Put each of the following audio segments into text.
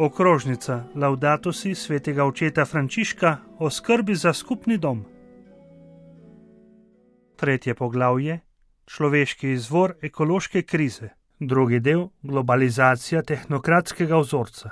Okrožnica Laudato si svetega očeta Frančiška o skrbi za skupni dom. 3. poglavje Človeški izvor ekološke krize. 2. del Globalizacija tehnokratskega vzorca.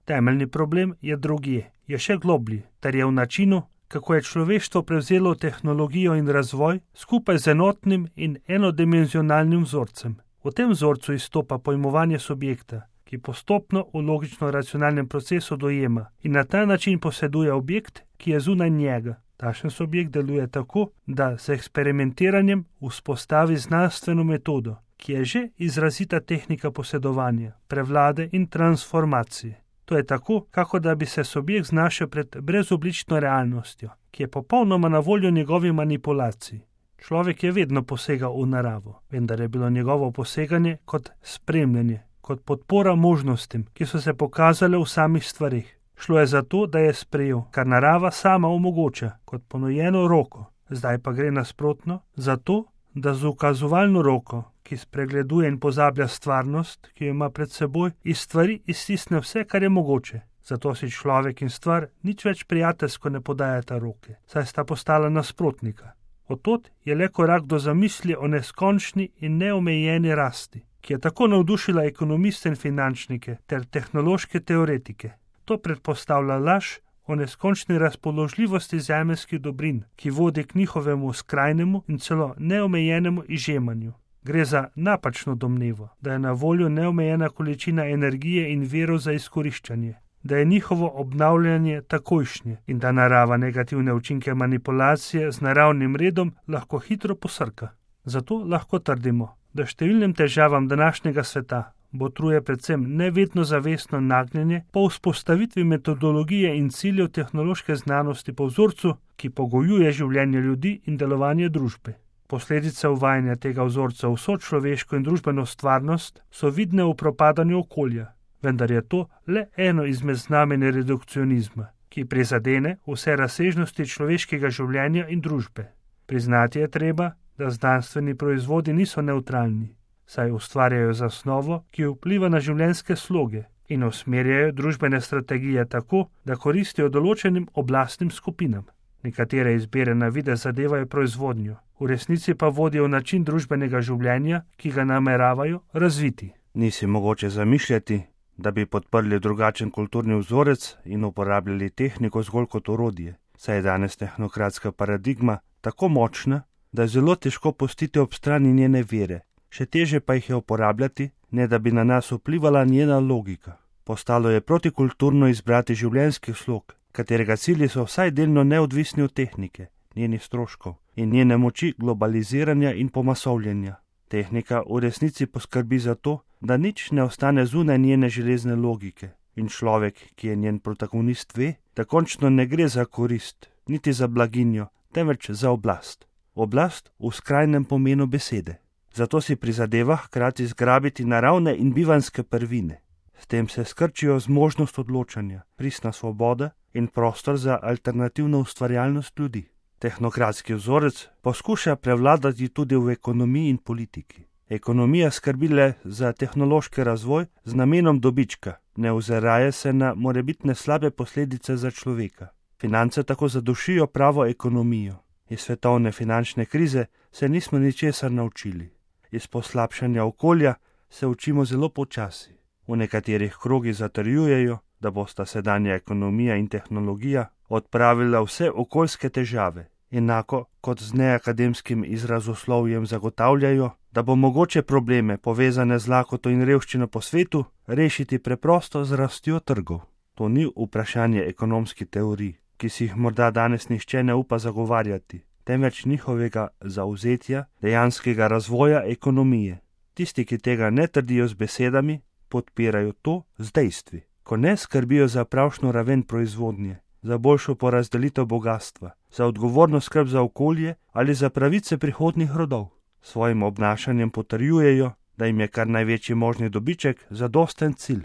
Temeljni problem je drugje, je še globlji, ter je v načinu, kako je človeštvo prevzelo tehnologijo in razvoj skupaj z enotnim in enodimenzionalnim vzorcem. V tem vzorcu izstopa pojmovanje subjekta, ki postopno v logično-racionalnem procesu dojema in na ta način poseduje objekt, ki je zunaj njega. Takšen subjekt deluje tako, da z eksperimentiranjem vzpostavi znanstveno metodo, ki je že izrazita tehnika posedovanja, prevlade in transformacije. To je tako, kako da bi se subjekt znašel pred brezoblično realnostjo, ki je popolnoma na voljo njegovi manipulaciji. Človek je vedno posegal v naravo, vendar je bilo njegovo poseganje kot spremljanje, kot podpora možnostim, ki so se pokazale v samih stvarih. Šlo je za to, da je sprejel, kar narava sama omogoča, kot ponujeno roko. Zdaj pa gre nasprotno, za to, da z ukazovalno roko, ki spregleduje in pozablja stvarnost, ki jo ima pred seboj, iz stvari iztisne vse, kar je mogoče. Zato si človek in stvar nič več prijateljsko ne podajata roke, saj sta postala nasprotnika. Od je le korak do zamisli o neskončni in neomejeni rasti, ki je tako navdušila ekonomiste in finančnike ter tehnološke teoretike. To predpostavlja laž o neskončni razpoložljivosti zemeljskih dobrin, ki vodi k njihovemu skrajnemu in celo neomejenemu izžemanju. Gre za napačno domnevo, da je na voljo neomejena količina energije in virov za izkoriščanje, da je njihovo obnavljanje takojšnje in da narava negativne učinke manipulacije z naravnim redom lahko hitro posrka. Zato lahko trdimo, da številnim težavam današnjega sveta botruje predvsem nevedno zavestno nagnjenje po vzpostavitvi metodologije in ciljev tehnološke znanosti po vzorcu, ki pogojuje življenje ljudi in delovanje družbe. Posledice uvajanja tega vzorca v sočloveško in družbeno stvarnost so vidne v propadanju okolja, vendar je to le eno izmed znamenj redukcionizma, ki prizadene vse razsežnosti človeškega življenja in družbe. Priznati je treba, da znanstveni proizvodi niso nevtralni, saj ustvarjajo zasnovo, ki vpliva na življenjske sloge in usmerjajo družbene strategije tako, da koristijo določenim oblastnim skupinam. Nekatere izbire na videz zadevajo proizvodnjo, v resnici pa vodijo način družbenega življenja, ki ga nameravajo razviti. Ni si mogoče zamišljati, da bi podprli drugačen kulturni vzorec in uporabljali tehniko zgolj kot orodje, saj je danes tehnokratska paradigma tako močna, da je zelo težko pustiti ob strani njene vere. Še teže pa jih je uporabljati, ne da bi na nas vplivala njena logika. Postalo je protikulturno izbrati življenjski slog, katerega cilji so vsaj delno neodvisni od tehnike, njenih stroškov in njene moči globaliziranja in pomasovljenja. Tehnika v resnici poskrbi za to, da nič ne ostane zunaj njene železne logike in človek, ki je njen protagonist, ve, da končno ne gre za korist, niti za blaginjo, temveč za oblast. Oblast v skrajnem pomenu besede. Zato si prizadeva hkrati zgrabiti naravne in bivanjske prvine. S tem se skrčijo zmožnost odločanja, pristna svoboda in prostor za alternativno ustvarjalnost ljudi. Tehnokratski vzorec poskuša prevladati tudi v ekonomiji in politiki. Ekonomija skrbi le za tehnološki razvoj z namenom dobička, ne oziraje se na morebitne slabe posledice za človeka. Finance tako zadušijo pravo ekonomijo. Iz svetovne finančne krize se nismo ničesar naučili. Iz poslabšanja okolja se učimo zelo počasi. V nekaterih krogih zatrjujejo, da bosta sedanja ekonomija in tehnologija odpravila vse okoljske težave, enako kot z neakademskim izrazoslovjem zagotavljajo, da bo mogoče probleme, povezane z lakoto in revščino po svetu, rešiti preprosto z rastjo trgov. To ni vprašanje ekonomskih teorij, ki si jih morda danes nihče ne upa zagovarjati, temveč njihovega zavzetja, dejanskega razvoja ekonomije. Tisti, ki tega ne trdijo z besedami, podpirajo to z dejstvi. Ko ne skrbijo za pravšno raven proizvodnje, za boljšo porazdelitev bogastva, za odgovorno skrb za okolje ali za pravice prihodnjih rodov. Svojim obnašanjem potrjujejo, da jim je kar največji možni dobiček zadosten cilj.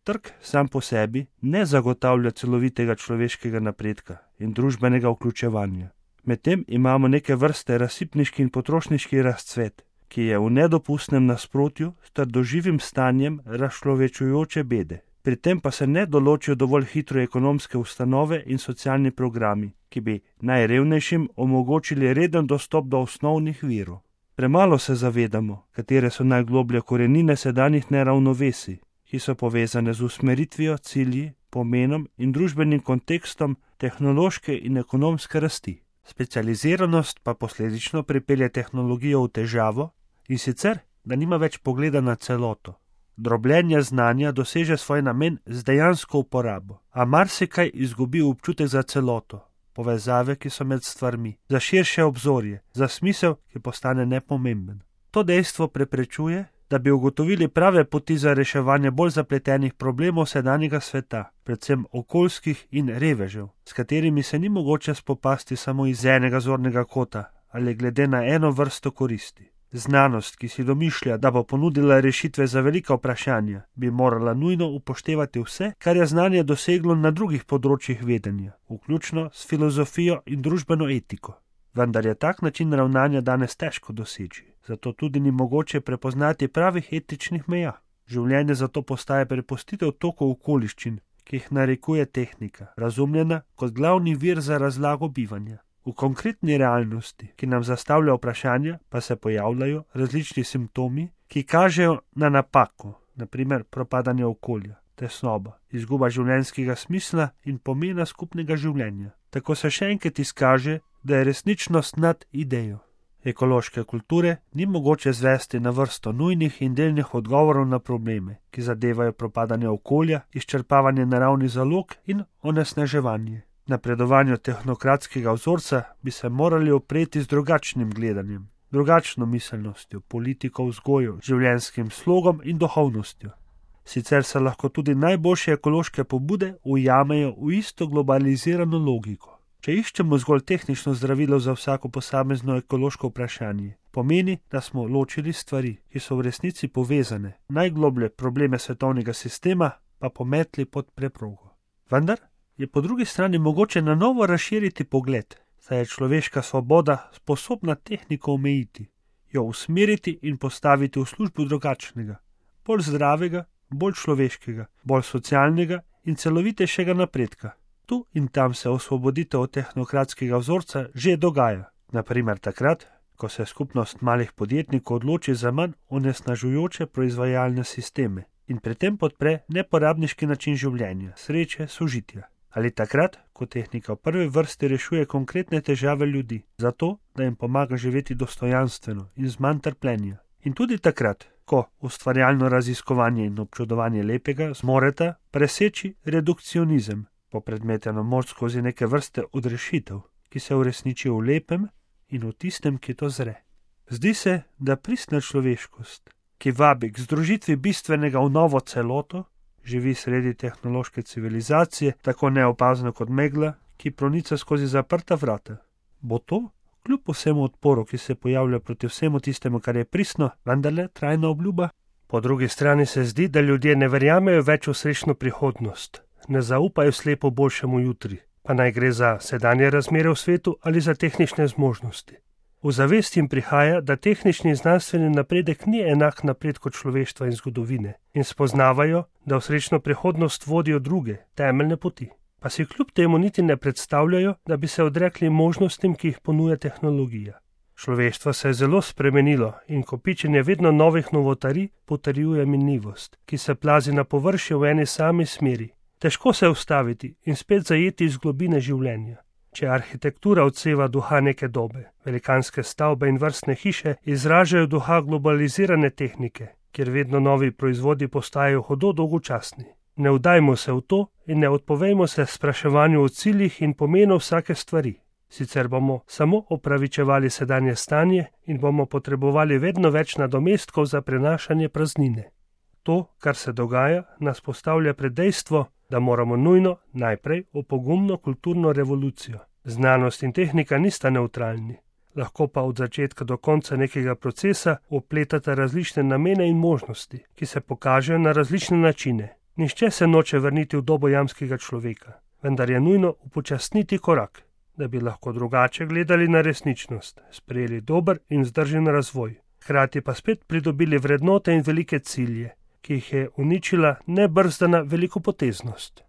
Trg sam po sebi ne zagotavlja celovitega človeškega napredka in družbenega vključevanja. Medtem imamo neke vrste razsipniški in potrošniški razcvet, ki je v nedopustnem nasprotju s trdoživim stanjem razčlovečujoče bede. Pri tem pa se ne določijo dovolj hitro ekonomske ustanove in socialni programi, ki bi najrevnejšim omogočili reden dostop do osnovnih virov. Premalo se zavedamo, katere so najgloblje korenine sedanjih neravnovesij, ki so povezane z usmeritvijo, cilji, pomenom in družbenim kontekstom tehnološke in ekonomske rasti. Specializiranost pa posledično pripelje tehnologijo v težavo, in sicer, da nima več pogleda na celoto. Drobljenje znanja doseže svoj namen z dejansko uporabo, a marsikaj izgubi občutek za celoto, povezave, ki so med stvarmi, za širše obzorje, za smisel, ki postane nepomemben. To dejstvo preprečuje, da bi ugotovili prave poti za reševanje bolj zapletenih problemov sedanjega sveta, predvsem okoljskih in revežev, s katerimi se ni mogoče spopasti samo iz enega zornega kota ali glede na eno vrsto koristi. Znanost, ki si domišlja, da bo ponudila rešitve za velika vprašanja, bi morala nujno upoštevati vse, kar je znanje doseglo na drugih področjih vedenja, vključno s filozofijo in družbeno etiko. Vendar je tak način ravnanja danes težko doseči, zato tudi ni mogoče prepoznati pravih etičnih meja. Življenje zato postaje prepustitev toku okoliščin, ki jih narekuje tehnika, razumljena kot glavni vir za razlago bivanja. V konkretni realnosti, ki nam zastavlja vprašanja, pa se pojavljajo različni simptomi, ki kažejo na napako, naprimer propadanje okolja, tesnoba, izguba življenjskega smisla in pomena skupnega življenja. Tako se še enkrat izkaže, da je resničnost nad idejo. Ekološke kulture ni mogoče zvesti na vrsto nujnih in delnih odgovorov na probleme, ki zadevajo propadanje okolja, izčrpavanje naravnih zalog in onesnaževanje. Napredovanju tehnokratskega vzorca bi se morali opreti z drugačnim gledanjem, drugačno miselnostjo, politiko, vzgojo, življenjskim slogom in duhovnostjo. Sicer se lahko tudi najboljše ekološke pobude ujamejo v isto globalizirano logiko. Če iščemo zgolj tehnično zdravilo za vsako posamezno ekološko vprašanje, pomeni, da smo ločili stvari, ki so v resnici povezane, najgloblje probleme svetovnega sistema pa pometli pod preprogo. Vendar je po drugi strani mogoče na novo razširiti pogled, saj je človeška svoboda sposobna tehniko omejiti, jo usmeriti in postaviti v službo drugačnega, bolj zdravega, bolj človeškega, bolj socialnega in celovitejšega napredka. Tu in tam se osvoboditev od tehnokratskega vzorca že dogaja, naprimer takrat, ko se skupnost malih podjetnikov odloči za manj onesnažujoče proizvajalne sisteme in pri tem podpre neporabniški način življenja, sreče, sožitja. Ali takrat, ko tehnika v prvi vrsti rešuje konkretne težave ljudi, zato, da jim pomaga živeti dostojanstveno in z manj trpljenja. In tudi takrat, ko ustvarjalno raziskovanje in občudovanje lepega zmoreta preseči redukcionizem, popredmeteno moč skozi neke vrste odrešitev, ki se uresniči v lepem in v tistem, ki to zre. Zdi se, da pristna človeškost, ki vabi k združitvi bistvenega v novo celoto, živi sredi tehnološke civilizacije, tako neopazno kot megla, ki pronica skozi zaprta vrata. Bo to, kljub vsemu odporu, ki se pojavlja proti vsemu tistemu, kar je pristno, vendarle trajna obljuba? Po drugi strani se zdi, da ljudje ne verjamejo več v srečno prihodnost, ne zaupajo slepo boljšemu jutri, pa naj gre za sedanje razmere v svetu ali za tehnične zmožnosti. V zavest jim prihaja, da tehnični in znanstveni napredek ni enak napredku človeštva in zgodovine in spoznavajo, da v srečno prihodnost vodijo druge, temeljne poti. Pa si kljub temu niti ne predstavljajo, da bi se odrekli možnostim, ki jih ponuja tehnologija. Človeštvo se je zelo spremenilo in kopičenje vedno novih novotarij potrjuje minljivost, ki se plazi na površje v eni sami smeri. Težko se ustaviti in spet zajeti iz globine življenja. Če arhitektura odseva duha neke dobe, velikanske stavbe in vrstne hiše izražajo duha globalizirane tehnike, kjer vedno novi proizvodi postajajo hudo dolgočasni. Ne vdajmo se v to in ne odpovejmo se spraševanju o ciljih in pomenu vsake stvari. Sicer bomo samo opravičevali sedanje stanje in bomo potrebovali vedno več nadomestkov za prenašanje praznine. To, kar se dogaja, nas postavlja pred dejstvo, da moramo nujno najprej v pogumno kulturno revolucijo. Znanost in tehnika nista nevtralni, lahko pa od začetka do konca nekega procesa vpletata različne namene in možnosti, ki se pokažejo na različne načine. Nihče se noče vrniti v dobo jamskega človeka, vendar je nujno upočasniti korak, da bi lahko drugače gledali na resničnost, sprejeli dober in vzdržen razvoj, hkrati pa spet pridobili vrednote in velike cilje, ki jih je uničila nebrzdana velikopoteznost.